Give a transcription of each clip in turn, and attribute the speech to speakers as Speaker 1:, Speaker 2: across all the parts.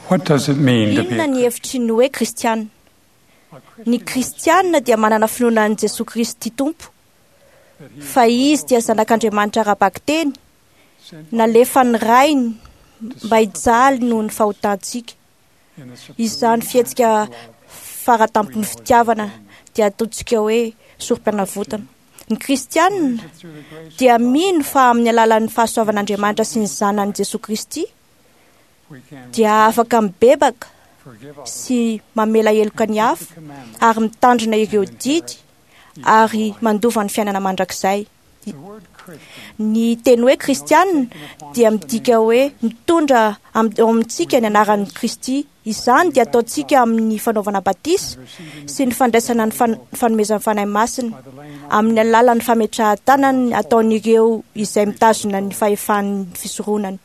Speaker 1: What does it mean to be
Speaker 2: Inona
Speaker 1: a
Speaker 2: ny hevitry ny hoe kristiana? Ny kristiana dia manana finoana an'i Jesoa Kristy Tompo, fa izy dia zanak'Andriamanitra ara-bakiteny, nalefan'ny Rainy mba hijaly noho ny fahotantsika. Izany fihetsika faratampon'ny fitiavana dia ataontsika hoe sorom-panavotana. Ny kristiana dia mino fa amin'ny alalan'ny fahasoavan'Andriamanitra sy ny zanany Jesoa Kristy dia afaka mibebaka sy mamela heloka ny hafa ary mitandrina ireo didy ary mandova ny fiainana mandrakizay. Ny teny hoe kristiana dia midika hoe mitondra ao amintsika ny anaran'i Kristy. Izany dia ataontsika amin'ny fanaovana batisa sy ny fandraisana ny fanomezan'ny Fanahy Masina amin'ny alalan'ny fametrahan-tanana ataon'ireo izay mitazona ny fahefan'ny fisoronana.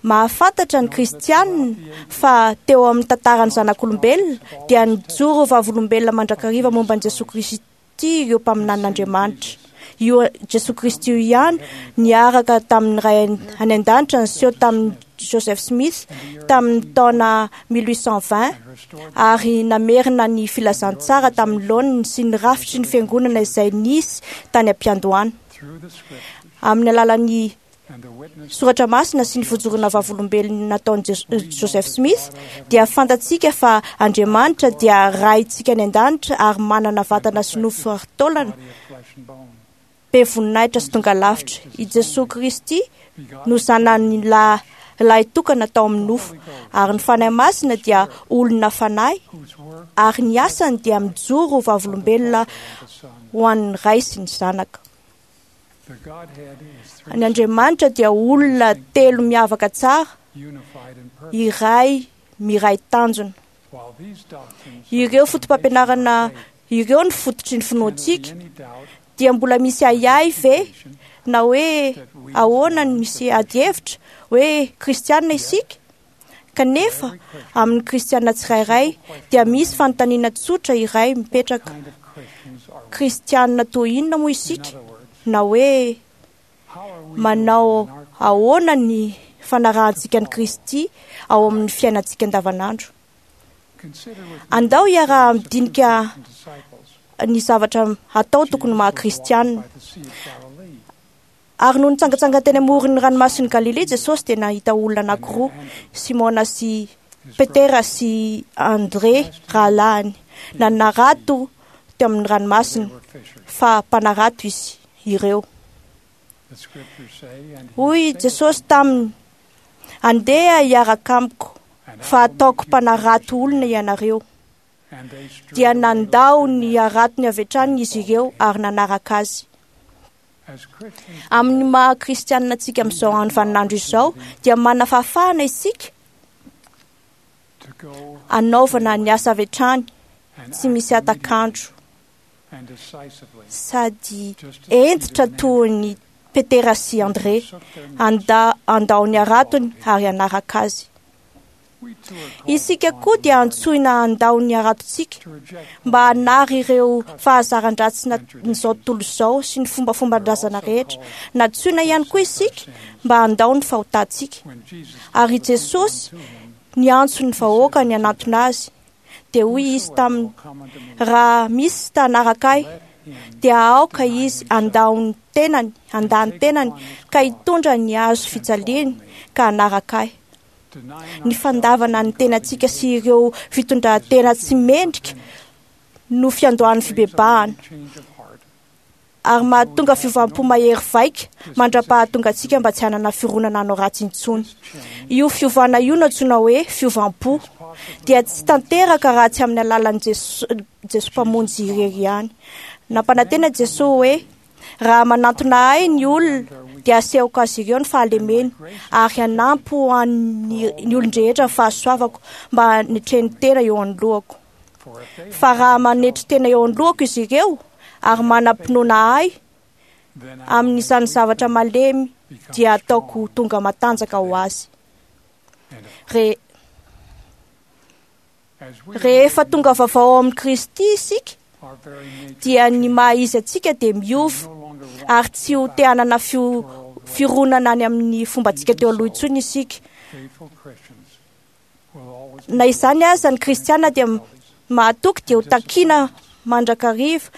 Speaker 2: Mahafantatra ny kristianina fa teo amin'ny tantaran'ny zanak'olombelona dia nijoro vavolombelona mandrakariva momba an'i Jesoa Kristy ireo mpaminanin'Andriamanitra. Io Jesoa Kristy io ihany niaraka tamin'ny Ray any an-danitra niseho tamin'i Joseph Smith tamin'ny taona 1820 ary namerina ny filazantsara tamin'ny laoniny sy ny rafitry ny fiangonana izay nisy tany am-piandohana. Amin'ny alalan'ny soratra masina sy ny fijoroana vavolombelona nataon'i Joseph Smith dia fantatsika fa Andriamanitra dia Raintsika any an-danitra ary manana vatana sy nofo ary taolana be voninahitra sy tonga lavitra. I Jesoa Kristy no zanany lahy tokana tao amin'ny nofo ary ny Fanahy Masina dia olona fanahy ary ny asany dia mijoro ho vavolombelona ho an'ny Ray sy ny Zanaka. Ny Andriamanitra dia olona telo miavaka tsara, iray miray tanjona. Ireo fotopampianarana ireo ny fototry ny finoantsika dia mbola misy ahiahy ve na hoe ahoana ny misy adihevitra hoe kristianina isika? Kanefa amin'ny kristianina tsirairay dia misy fanontaniana tsotra iray mipetraka. Kristianina toy inona moa isika? Na hoe manao ahoana ny fanarahantsika an'i Kristy ao amin'ny fiainantsika andavanandro? Andao hiaraha-midinika ny zavatra atao tokony maha kristianina. Ary noho nitsangantsangana teny amoron'ny ranomasin'i Galilea Jesosy dia nahita olona anankiroa, Simona sy Petera sy André rahalahiny, nanarato teo amin'ny ranomasina, fa mpanarato izy ireo. Hoy Jesosy taminy, andeha hiaraka amiko, fa ataoko mpanarato olona ianareo. Dia nandao ny haratony avy hatrany izy ireo ary nanaraka azy. Amin'ny maha kristianina antsika amin'izao andro vaninandro izao dia manana fahafahana isika hanaovana ny asa avy hatrany tsy misy hatak'andro sady hentitra toy ny Petera sy André handao ny haratony ary hanaraka azy. Isika koa dia antsoina handao ny haratontsika mba hanary ireo fahazaran-dratsin'izao tontolo izao sy ny fombafomban-drazana rehetra. Nantsoina ihany koa isika mba handao ny fahotantsika. Ary Jesosy niantso ny vahoaka ny hanantona azy. Dia hoy izy taminy, raha misy ta hanaraka ahy, dia aoka izy handao ny tenany, handà ny tenany, ka hitondra ny hazo fijaliany ka hanaraka ahy. Ny fandavana ny tenantsika sy ireo fitondran-tena tsy mendrika no fiandohan'ny fibebahana ary mahatonga fiovam-po mahery vaika mandra-pahatonga antsika mba tsy hanana fironana hanao ratsy intsony. Io fiovana io no antsoina hoe fiovam-po dia tsy tanteraka raha tsy amin'ny alalan'i Jesoa Mpamonjy irery ihany. Nampanantena Jesoa hoe raha manantona ahy ny olona dia asehoko azy ireo ny fahalemeny ary hanampy ho an'ny olon-drehetra ny fahasoavako mba hanetreny tena eo anoloako. Fa raha manetry tena eo anoloako izy ireo ary manam-pinoana ahy amin'izany zavatra malemy dia ataoko tonga matanjaka ho azy. Rehefa tonga vaovao ao amin'i Kristy isika dia ny maha izy antsika dia miova ary tsy ho te hanana fironana any amin'ny fombantsika teo aloha intsony isika. Na izany aza, ny kristiana dia mahatoky dia ho takiana mandrakariva,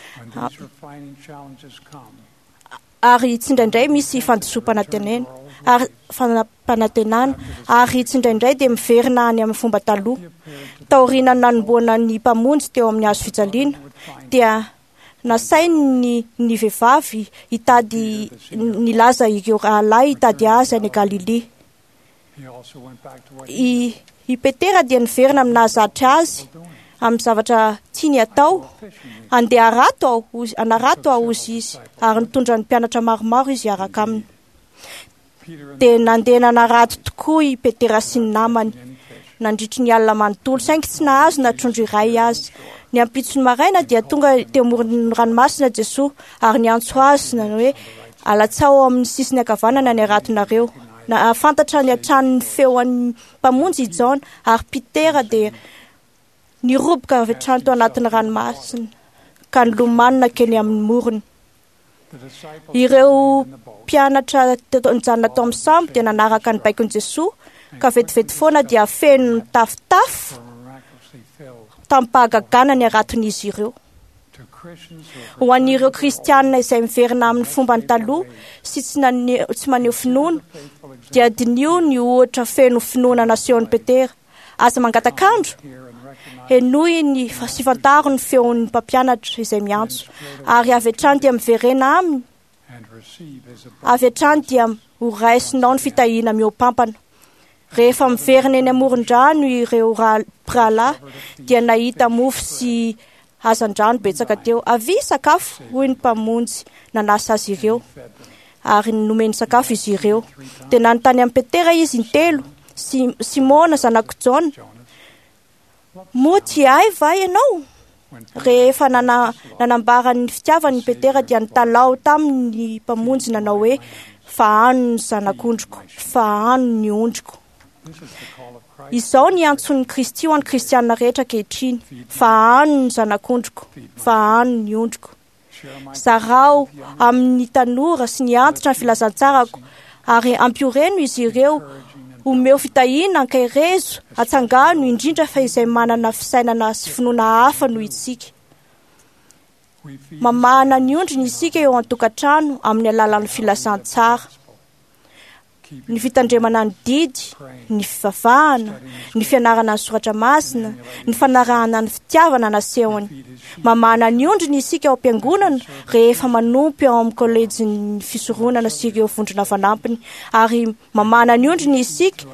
Speaker 2: ary tsindraindray misy fandisoam-panantenana ary fanampanantenana, ary tsindraindray dia miverina any amin'ny fomba taloha. Taoriana nanomboana ny Mpamonjy teo amin'ny hazo fijaliana, dia nasainy ny vehivavy hitady nilaza ireo rahalahy hitady azy any Galilia. I Petera dia niverina amin'ny nahazatra azy amin'ny zavatra tiany atao. Andeha harato aho, hanarato aho, hozy izy, ary nitondra ny mpianatra maromaro izy hiaraka aminy. Dia nandeha nanarato tokoa i Petera sy ny namany nandritry ny alina manontolo, saingy tsy nahazo na trondro iray aza. Ny ampitson'ny maraina dia tonga teo amoron'ny ranomasina Jesoa ary niantso azy nanao hoe: alatsao amin'ny sisiny ankavanana ny haratonareo. Nahafantatra ny hatrany ny feon'ny Mpamonjy i Jaona, ary Petera dia niroboka avy hatrany tao anatin'ny ranomasina ka nilomano nankeny amin'ny morony. Ireo mpianatra nijanona tao amin'ny sambo dia nanaraka ny baikon'i Jesoa, ka vetivety foana dia feno nitafotafo tamin'ny-pahagagana ny haraton'izy ireo. Ho an'ireo kristianina izay miverina amin'ny fombany taloha sy tsy maneho finoana, dia diniho ny ohatra feno finoana nasehon'i Petera. Aza mangatak'andro, henoy ny sy fantaro ny feon'ny mpampianatra izay miantso, ary avy hatrany dia miverena aminy, avy hatrany dia ho raisinao ny fitahiana mihoampampana. Rehefa miverina eny amoron-drano ireo mpirahalahy dia nahita mofo sy hazandrano betsaka teo. Avia sakafo, hoy ny Mpamonjy nanasa azy ireo, ary nomeny sakafo izy ireo. Dia nanontany amin'i Petera izy intelo: Simona zanak'i Jaona, moa tia ahy va ianao? Rehefa nanambara ny fitiavany Petera dia nitalaho taminy ny Mpamonjy nanao hoe: fahano ny zanak'ondriko, fahano ny ondriko. Izao ny antson'ny Kristy ho an'ny kristianina rehetra ankehitriny: fahano ny zanak'ondriko, fahano ny ondriko. Zarao amin'ny tanora sy ny antitra ny filazantsarako, ary ampioreno izy ireo. Omeo fitahiana, ankaherezo, atsangano, indrindra fa izay manana fisainana sy finoana hafa noho isika. Mamahana ny ondriny isika eo an-tokantrano amin'ny alalan'ny filazantsara, ny fitandremana ny didy, ny fivavahana, ny fianarana ny soratra masina, ny fanarahana ny fitiavana nasehony. Mamahana ny ondriny isika ao am-piangonana rehefa manompo ao amin'ny kolejin'ny fisoronana sy ireo vondrona fanampiny, ary mamahana ny ondriny isika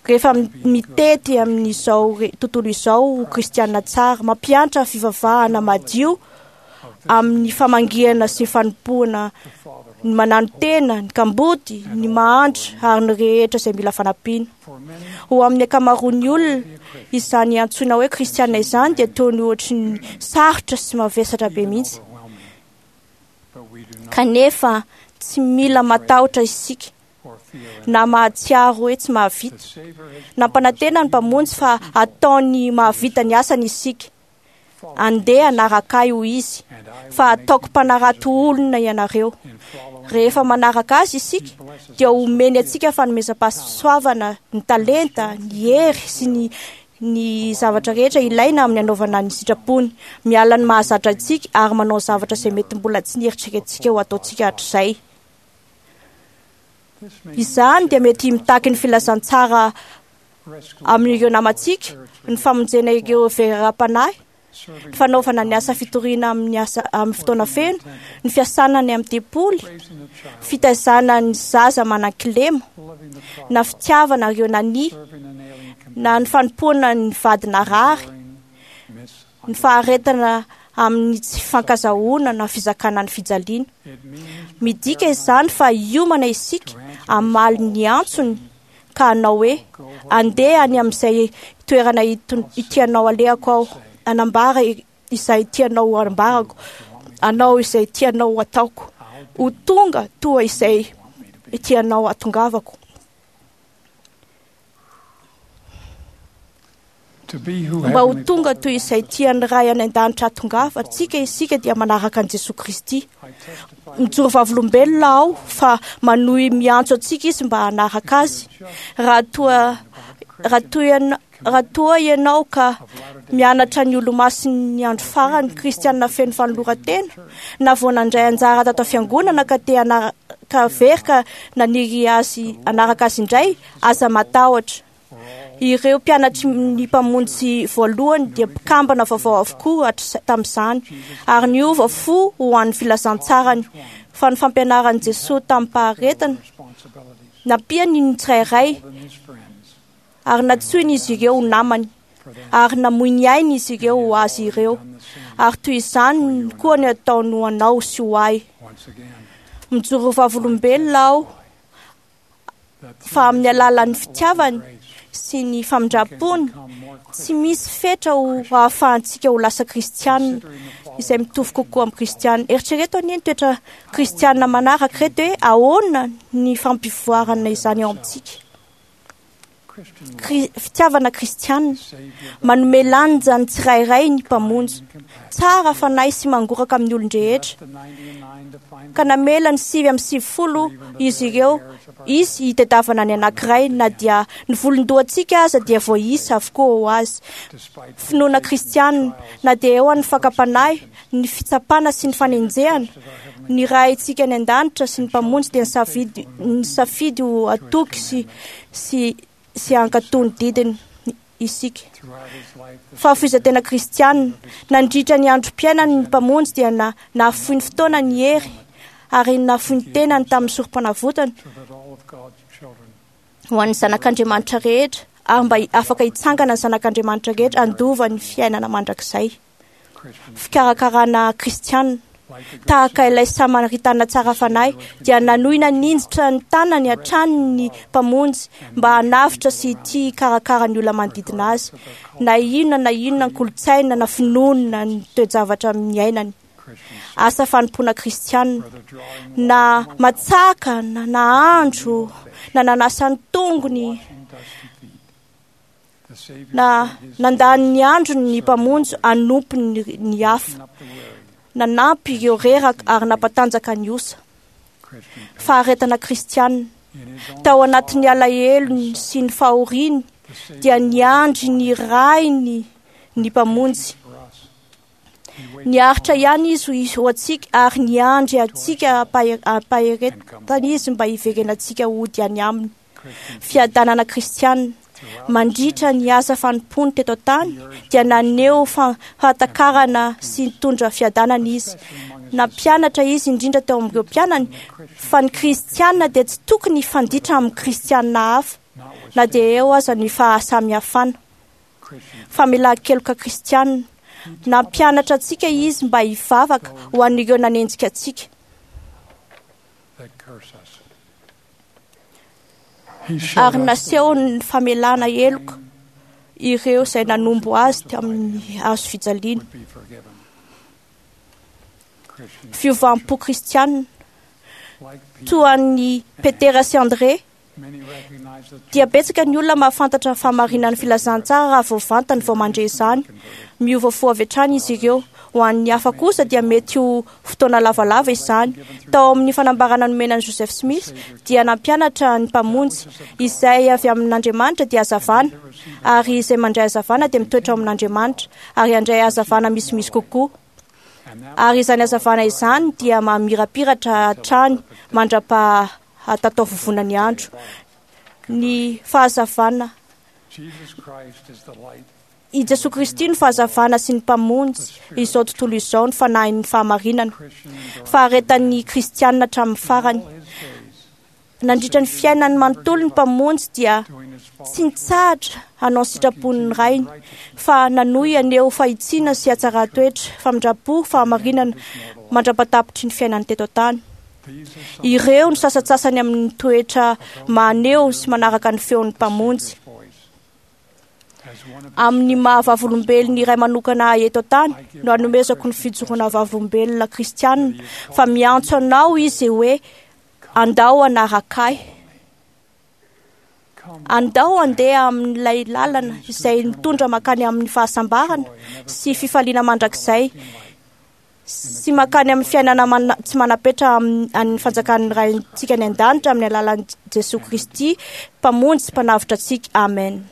Speaker 2: rehefa mitety amin'izao tontolo izao ho kristiana tsara, mampiantra fivavahana madio amin'ny famangiana sy fanompoana ny mananotena, ny kamboty, ny mahantra ary ny rehetra izay mila fanampiana. Ho amin'ny ankamaroan'ny olona, izany antsoina hoe kristiana izany dia toy ny ohatry ny sarotra sy mavesatra be mihitsy. Kanefa tsy mila matahotra isika na mahatsiaro hoe tsy mahavita. Nampanantena ny Mpamonjy fa ataony mahavita ny asany isika. Andeha hanaraka ahy, hoy izy, fa ataoko mpanarato olona ianareo. Rehefa manaraka azy isika dia omeny antsika fanomezam-pahasoavana, ny talenta, ny hery sy ny zavatra rehetra ilaina amin'ny anaovana ny sitrapony. Miala ny mahazatra antsika ary manao zavatra izay mety mbola tsy nieritreretintsika ho ataontsika hatrizay. Izany dia mety mitaky ny filazantsara amin'ireo namantsika, ny famonjena ireo veram-panahy, ny fanaovana ny asa fitoriana amin'ny asa amin'ny fotoana feno, ny fiasana ny amin'ny tempoly, fitaizana ny zaza manan-kilema, na fitiavana ireo nania, na ny fanompoana ny vady narary, ny faharetana amin'ny tsy fankazahoana na fizakana ny fijaliana. Midika izany fa hiomana isika hamaly ny antsony ka hanao hoe: andeha any amin'izay toerana tianao alehako aho, hanambara izay tianao hambarako, hanao izay tianao ataoko, ho tonga toa izay tianao hatongavako. Mba ho tonga toy izay tian'ny Ray any an-danitra hatongavantsika isika dia manaraka an'i Jesoa Kristy. Mijoro vavolombelona aho fa manohy miantso antsika izy mba hanaraka azy. Raha toa Raha toa ianao ka mianatra ny Olomasin'ny Andro Farany kristiana feno fanoloran-tena, na vao nandray anjara tato am-piangonana ka te ka very ka naniry azy hanaraka azy indray, aza matahotra. Ireo mpianatry ny Mpamonjy voalohany dia mpikambana vaovao avokoa tamin'izany, ary niova fo ho an'ny filazantsarany, fa ny fampianaran'i Jesoa tamim-paharetana nampiany ny tsirairay, ary nantsoiny izy ireo ho namany, ary namoy ny ainy izy ireo ho azy ireo, ary toy izany koa ny ataony ho anao sy ho ahy. Mijoro vavolombelona aho fa amin'ny alalan'ny fitiavany sy ny famindram-pony tsy misy fetra ho ahafahantsika ho lasa kristianina izay mitovy kokoa amin'ny kristianina. Eritrereto anie ny toetra kristianina manaraka ireto hoe ahoana ny fampivoarana izany ao amintsika. Fitiavana kristianina manome lanja ny tsirairay ny Mpamonjy, tsara fanahy sy mangoraka amin'ny olon-drehetra, ka namela ny 99 izy ireo izy hitadiavana ny anankiray, na dia ny volon-dohantsika aza dia voaisa avokoa ho azy. Finoana kristianina, na dia eo an'ny fakam-panahy, ny fitsapana sy ny fanenjehana, ny Raintsika any an-danitra sy ny Mpamonjy dia nisafidy ho atoky sy hankatò ny didiny isika. Fahafoizan-tena kristianina, nandritra ny androm-piainany ny Mpamonjy dia nahafoy ny fotoana ny hery ary nahafoy ny tenany tamin'ny sorom-panavotana ho an'ny zanak'Andriamanitra rehetra, ary mba afaka hitsangana ny zanak'Andriamanitra rehetra handova ny fiainana mandrakizay. Fikarakarana kristianina, tahaka ilay Samaritana tsara fanahy, dia nanohy naninjitra ny tanany hatrany ny Mpamonjy mba hanavotra sy hitia hikarakara ny olona manodidina azy, na inona na inona ny kolontsaina na finoana ny toe-javatra niainany. Asa fanompoana kristianina, na matsaka na nahandro na nanasa ny tongony na nandany ny androny ny Mpamonjy hanompo ny hafa, nanampy ireo reraka ary nampatanjaka ny osa. Faharetana kristianina, tao anatin'ny alahelony sy ny fahoriany dia niandry ny Rainy ny Mpamonjy. Niaritra ihany izy ho antsika ary niandry antsika ampaheretana izy mba hiverenantsika hody any aminy. Fiadanana kristianina, mandritra ny asa fanompoany teto an-tany dia naneho fahatakarana sy nitondra fiadanana izy. Nampianatra izy indrindra teo amin'ireo mpianany fa ny kristianina dia tsy tokony hifanditra amin'ny kristianina hafa na dia eo aza ny fahasamihafana. Famelan-keloka kristianina, nampianatra antsika izy mba hivavaka ho an'ireo nanenjika antsika. Ary nasehony ny famelana heloka ireo izay nanombo azy tamin'ny hazo fijaliana. Fiovam-po kristianina, toa an'i Petera sy André, dia betsaka ny olona mahafantatra ny fahamarinan'ny filazantsara raha vao vantany vao mandre izany. Miova fo avy hatrany izy ireo. Ho an'ny hafa kosa dia mety ho fotoana lavalava izany. Tao amin'ny fanambarana nomena an'i Joseph Smith dia nampianatra ny Mpamonjy izay avy amin'Andriamanitra dia hazavana, ary izay mandray hazavana dia mitoetra ao amin'Andriamanitra ary handray hazavana misimisy kokoa. Ary izany hazavana izany dia mamirapiratra hatrany mandra-pahatataovovona ny andro. Ny fahazavana, i Jesoa Kristy no fahazavana sy ny Mpamonjy izao tontolo izao, ny fanahin'ny fahamarinana. Faharetan'ny kristianina hatramin'ny farany. Nandritra ny fiainany manontolo ny Mpamonjy dia tsy nitsahatra hanao ny sitrapon'ny Rainy, fa nanohy haneho fahitsiana sy hatsaran-toetra, famindram-po, fahamarinana mandra-patapitry ny fiainany teto an-tany. Ireo no sasantsasany amin'ny toetra maneho sy manaraka ny feon'ny Mpamonjy. Amin'ny maha vavolombelona iray manokana ahy eto an-tany no anomezako ny fijoroana vavolombelona kristianina fa miantso anao izy hoe andao hanaraka ahy. Andao handeha amin'ilay lalana izay mitondra mankany amin'ny fahasambarana sy fifaliana mandrakizay sy mankany amin'ny fiainana tsy manam-petra amin'ny fanjakan'ny Raintsika any an-danitra amin'ny alalan'i Jesoa Kristy Mpamonjy sy Mpanavotra antsika. Amen.